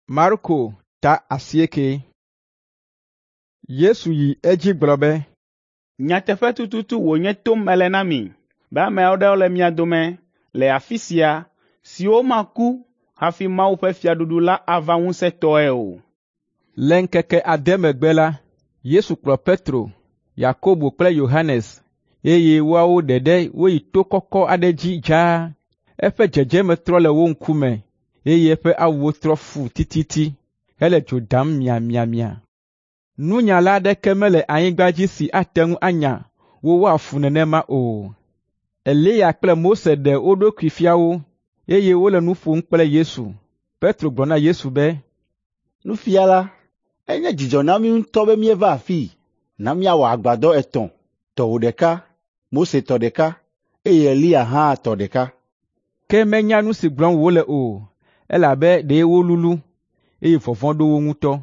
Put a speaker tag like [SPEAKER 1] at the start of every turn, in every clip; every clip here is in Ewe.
[SPEAKER 1] Marko ta 8. Yesu yi edzi gblɔ be,
[SPEAKER 2] “Nyateƒe tututu wònye tom mele na mi be ame aɖewo le mia dome le afi sia siwo maku hafi Mawu ƒe fiaɖuɖu la ava ŋusẽtɔe o.”
[SPEAKER 1] Le ŋkeke ade megbe la, Yesu kplɔ Petro, Yakobo kple Yohanes, eye woawo ɖeɖe woyi to kɔkɔ aɖe dzi dzaa. Eƒe dzedzeme trɔ le wo ŋkume, eye eƒe awuwo trɔ fu tititi hele dzo dam miamiamia. Nunyala aɖeke mele anyigba dzi si ate ŋu anya wo woafu nenema o. Eliya kple Mose ɖe wo ɖokui fia wo, eye wole nu ƒom kple Yesu. Petro gblɔ na Yesu be,
[SPEAKER 3] “Nufiala, enye dzidzɔ na mí ŋutɔ be míeva afii. Na míawɔ agbadɔ etɔ̃, tɔwò ɖeka, Mose tɔ ɖeka, eye Eliya hã tɔ ɖeka.”
[SPEAKER 1] Ke menya nu si gblɔm wòle o, elabe ɖe wolulu, eye vɔvɔ̃ ɖo wo ŋutɔ.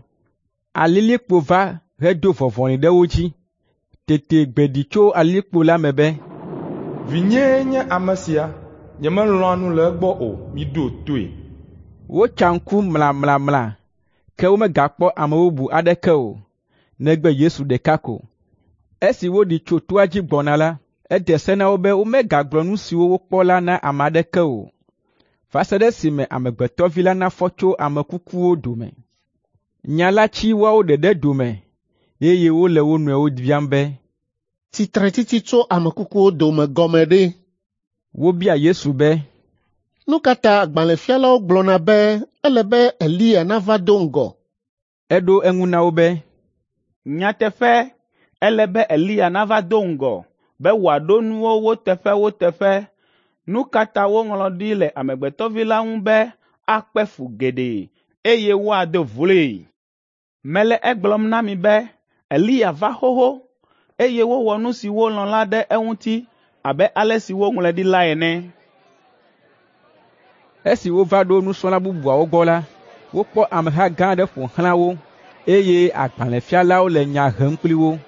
[SPEAKER 1] Alilikpo va hedo vɔvɔli ɖe wo dzi. Tete gbe ɖi tso alilikpo la me be,
[SPEAKER 4] “Vinyee nye ame sia, nyemelɔ̃a nu le egbɔ o, miɖo toe.”
[SPEAKER 1] Wotsa ŋku mlamlamla, ke womegakpɔ ame bubu aɖeke o, negbe Yesu ɖeka ko. Esi woɖi tso toa dzi gbɔna la, ede se na wo be womegagblɔ nu siwo wokpɔ la na ame aɖeke o, va se ɖe esime Amegbetɔ Vi la nafɔ tso ame kukuwo dome. Nya la tsi woawo ɖeɖe dome, eye wole wo nɔewo biam be,
[SPEAKER 5] “Tsitretsitsi tso ame kukuwo dome gɔme ɖe?”
[SPEAKER 1] Wobia Yesu be,
[SPEAKER 5] “Nu ka ta agbalẽfialawo gblɔna be ele be Eliya nava do ŋgɔ?”
[SPEAKER 1] Eɖo eŋu na wo be,
[SPEAKER 2] “Nyateƒe, ele be Eliya nava do ŋgɔ be wòaɖo nuwo wo teƒe wo teƒe. Nu ka ta woŋlɔ ɖi le Amegbetɔ Vi la ŋu be akpe fu geɖe, eye woado vloe? Mele egblɔm na mi be Eliya va xoxo, eye wowɔ nu si wolɔ̃ la ɖe eŋuti abe ale si woŋlɔe ɖi la ene.”
[SPEAKER 1] Esi wova ɖo nusrɔ̃la bubuawo gbɔ la, wokpɔ ameha gã aɖe ƒo xlã wo, eye agbalẽfialawo le nya hem kpli wo.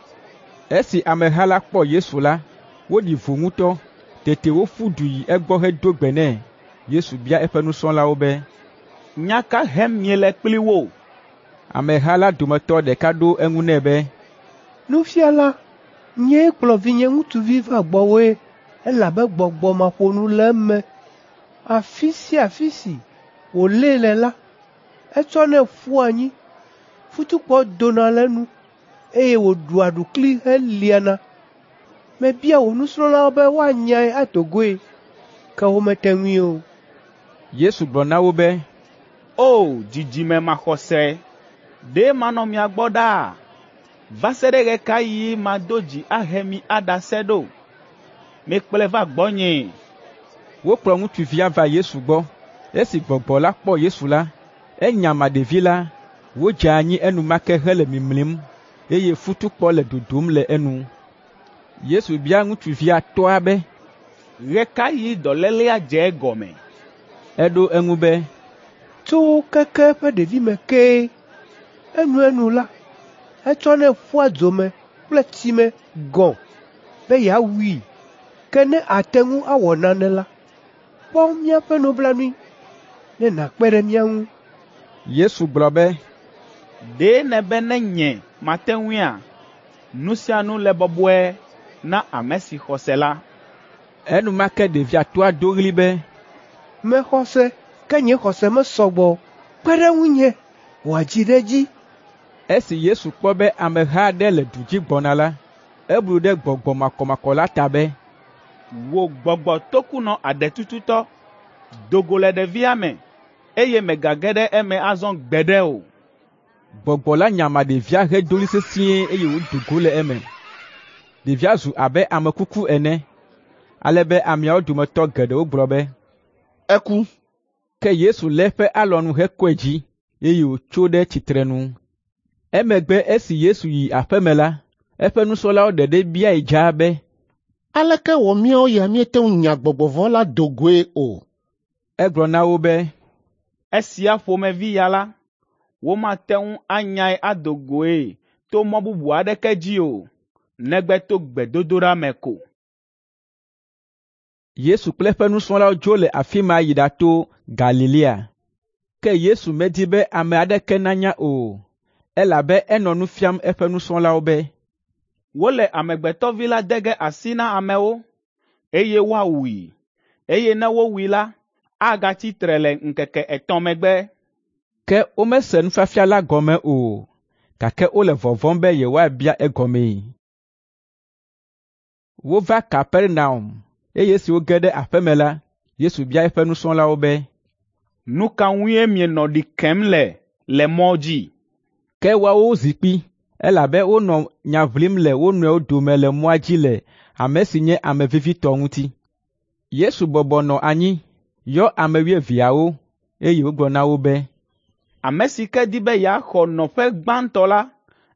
[SPEAKER 1] Esi ameha la kpɔ Yesu la, woɖi vo ŋutɔ. Tete woƒu du yi egbɔ hedo gbe nɛ. Yesu bia eƒe nusrɔ̃lawo be,
[SPEAKER 2] “Nya ka hem miele kpli wo?”
[SPEAKER 1] Ameha la dometɔ ɖeka ɖo eŋu nɛ be,
[SPEAKER 6] “Nufiala, nyee kplɔ vinye ŋutsuvi va gbɔwòe, elabe gbɔgbɔ maƒonu le eme. Afi sia afi si wòlée le la, etsɔnɛ ƒua anyi, futukpɔ dona le enu, eye wòɖua aɖukli heliana. Mebia wò nusrɔ̃lawo be woanyae ado goe, ke womete ŋui o.”
[SPEAKER 1] Yesu gblɔ na wo be,
[SPEAKER 2] “O dzidzime maxɔse, ɖe manɔ mia gbɔ ɖaa? Va se ɖe ɣe ka ɣi mado dzi ahe mi aɖase ɖo? Mikplɔe va gbɔnyee.”
[SPEAKER 1] Wokplɔ ŋutsuvia va Yesu gbɔ. Esi gbɔgbɔ la kpɔ Yesu la, enyama ɖevi la, wòdze anyi enumake hele mimlim, eye futukpɔ le dodom le enu. Yesu bia ŋutsuvia tɔa be,
[SPEAKER 2] “Ɣe ka ɣi dɔlélea dze egɔme?”
[SPEAKER 1] Eɖo eŋu be,
[SPEAKER 6] “Tso keke eƒe ɖevime kee. Enuenu la, etsɔnɛ ƒua dzo me kple tsi me gɔ̃ be yeawui. Ke ne àte ŋu awɔ nane la, kpɔ míaƒe nublanui ne nàkpe ɖe mía ŋu.”
[SPEAKER 1] Yesu gblɔ be,
[SPEAKER 2] “Ɖe nèbe ne nye mate ŋuia? Nu sia nu le bɔbɔe na ame si xɔ se la.”
[SPEAKER 1] Enumake ɖevia tɔa do ɣli be,
[SPEAKER 6] “Mexɔ se, ke nye xɔse mesɔ gbɔ o. Kpe ɖe ŋunye wòadzi ɖe edzi.”
[SPEAKER 1] Esi Yesu kpɔ be ameha aɖe le du dzi gbɔna la, eblu ɖe gbɔgbɔ makɔmakɔ la ta be,
[SPEAKER 2] “Wò gbɔgbɔ tokunɔ aɖetututɔ, do go le ɖevia me, eye mègage ɖe eme azɔ gbeɖe o.”
[SPEAKER 1] Gbɔgbɔ la nyama ɖevia hedo ɣli sesĩe eye wòdo go le eme. Ɖevia zu abe ame kuku ene, ale be ameawo dometɔ geɖewo gblɔ be,
[SPEAKER 3] “Eku.”
[SPEAKER 1] Ke Yesu lé eƒe alɔnu hekɔe dzi, eye wòtso ɖe tsitrenu. Emegbe esi Yesu yi aƒe me la, eƒe nusrɔ̃lawo ɖeɖe biae dzaa be,
[SPEAKER 5] “Aleke wɔ míawo ya míete ŋu nya gbɔgbɔ vɔ̃ la do goe o?”
[SPEAKER 1] Egblɔ na wo be,
[SPEAKER 2] “Esia ƒomevi ya la, womate ŋu anyae ado goe to mɔ bubu aɖeke dzi o, negbe to gbedodoɖa me ko.”
[SPEAKER 1] Yesu kple eƒe nusrɔ̃lawo dzo le afi ma yi ɖato Galilea. Ke Yesu medi be ame aɖeke nanya o, elabe enɔ nu fiam eƒe nusrɔ̃lawo be,
[SPEAKER 2] “Wole Amegbetɔ Vi la de ge asi na amewo, eye woawui, eye ne wowui la, agatsi tre le ŋkeke etɔ̃ megbe.”
[SPEAKER 1] Ke womese nufiafia la gɔme o, gake wole vɔvɔ̃m be yewoabia egɔmee. Wova Kapernaum, eye esi woge ɖe aƒe me la, Yesu bia eƒe nusrɔ̃lawo be,
[SPEAKER 2] “Nu ka ŋue mienɔ ɖi kem le le mɔ dzi?”
[SPEAKER 1] Ke woawo zi kpi, elabe wonɔ nya ʋlim le wo nɔewo dome le mɔa dzi le ame si nye ame vevitɔ ŋuti. Yesu bɔbɔ nɔ anyi, yɔ ame wuieveawo, eye wògblɔ na wo be,
[SPEAKER 2] “Ame si ke di be yeaxɔ nɔƒe gbãtɔ la,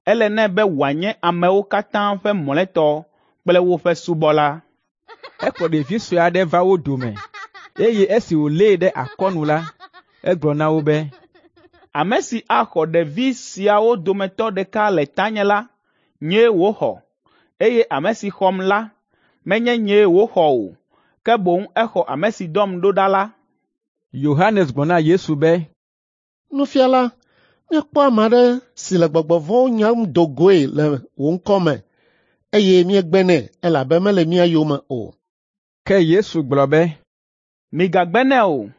[SPEAKER 2] ele nɛ be wòanye amewo katã ƒe mlɔetɔ kple woƒe subɔla.”
[SPEAKER 1] Ekplɔ ɖevi sue aɖe va wo dome, eye esi wòlée ɖe akɔnu la, egblɔ na wo be,
[SPEAKER 2] “Ame si axɔ ɖevi siawo dometɔ ɖeka le tanye la, nyee wòxɔ, eye ame si xɔm la, menye nyee wòxɔ o, ke boŋ exɔ ame si dɔm ɖo ɖa la.”
[SPEAKER 1] Yohanes gblɔ na Yesu be,
[SPEAKER 5] “Nufiala, míekpɔ ame aɖe si le gbɔgbɔ vɔ̃wo nyam do goe le wò ŋkɔ me, eye míegbe nɛ elabe mele mía yome o.”
[SPEAKER 1] Ke Yesu gblɔ be,
[SPEAKER 2] “Migagbe nɛ o,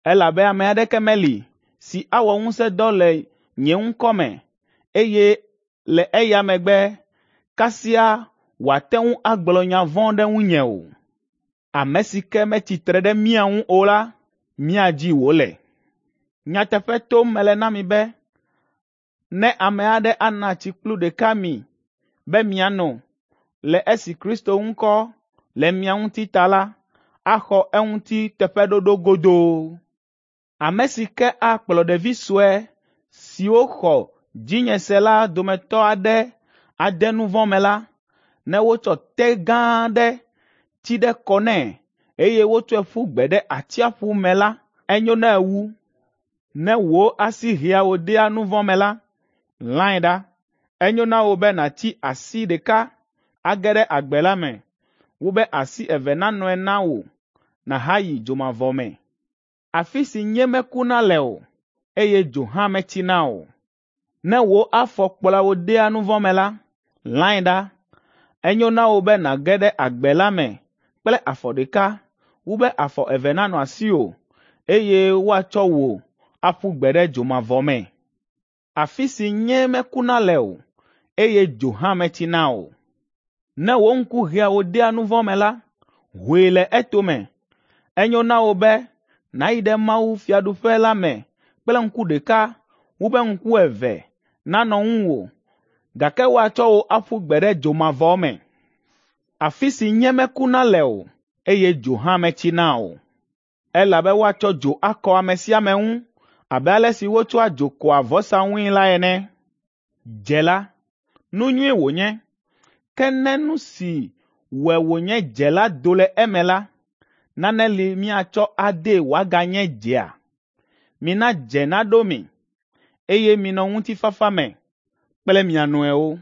[SPEAKER 2] elabe ame aɖeke meli si awɔ ŋusẽdɔ le nye ŋkɔ me, eye le eya megbe kasia wòate ŋu agblɔ nya vɔ̃ ɖe ŋunye o. Ame si ke metsi tre ɖe mía ŋu o la, mía dzi wòle. Nyateƒe tom mele na mi be, ne ame aɖe ana tsi kplu ɖeka mi be miano le esi Kristo ŋkɔ le mia ŋuti ta la, axɔ eŋuti teƒeɖoɖo godoo. Ame si ke akplɔ ɖevi sue siwo xɔ dzinye se la dometɔ aɖe ade nu vɔ̃ me la, ne wotsɔ té gã aɖe tsi ɖe kɔ nɛ, eye wotsɔe ƒu gbe ɖe atsiaƒu me la, enyo nɛ wu. Ne wò asi hea wò dea nu vɔ̃ me la, lãe ɖa. Enyo na wò be nàtsi asi ɖeka age ɖe agbe la me, wu be asi eve nanɔe na wò nàhayi dzomavɔ me, afi si nye mekuna le o, eye dzo hã metsina o. Ne wò afɔ kplɔa wò dea nu vɔ̃ me la, lãe ɖa. Enyo na wò be nàge ɖe agbe la me kple afɔ ɖeka wu be afɔ eve nanɔ asiwò, eye woatsɔ wò aƒu gbe ɖe dzomavɔ me, afi si nye mekuna le o, eye dzo hã metsina o. Ne wò ŋku hea wò dea nu vɔ̃ me la, hoe le etome. Enyo na wò be nàyi ɖe Mawu fiaɖuƒe la me kple ŋku ɖeka wu be ŋku eve nanɔ ŋuwò, gake woatsɔ wò aƒu gbe ɖe dzomavɔ me, afi si nye mekuna le o, eye dzo hã metsina o. Elabe woatsɔ dzo akɔ ame sia ame ŋu abe ale si wotsɔa dzo kɔa vɔsa ŋui la ene. Dze la, nu nyui wònye, ke ne nu si wɔe wònye dze la do le eme la, nane li míatsɔ adee wòaganye dzea? Mina dze naɖo mi, eye minɔ ŋutifafa me kple mia nɔewo.”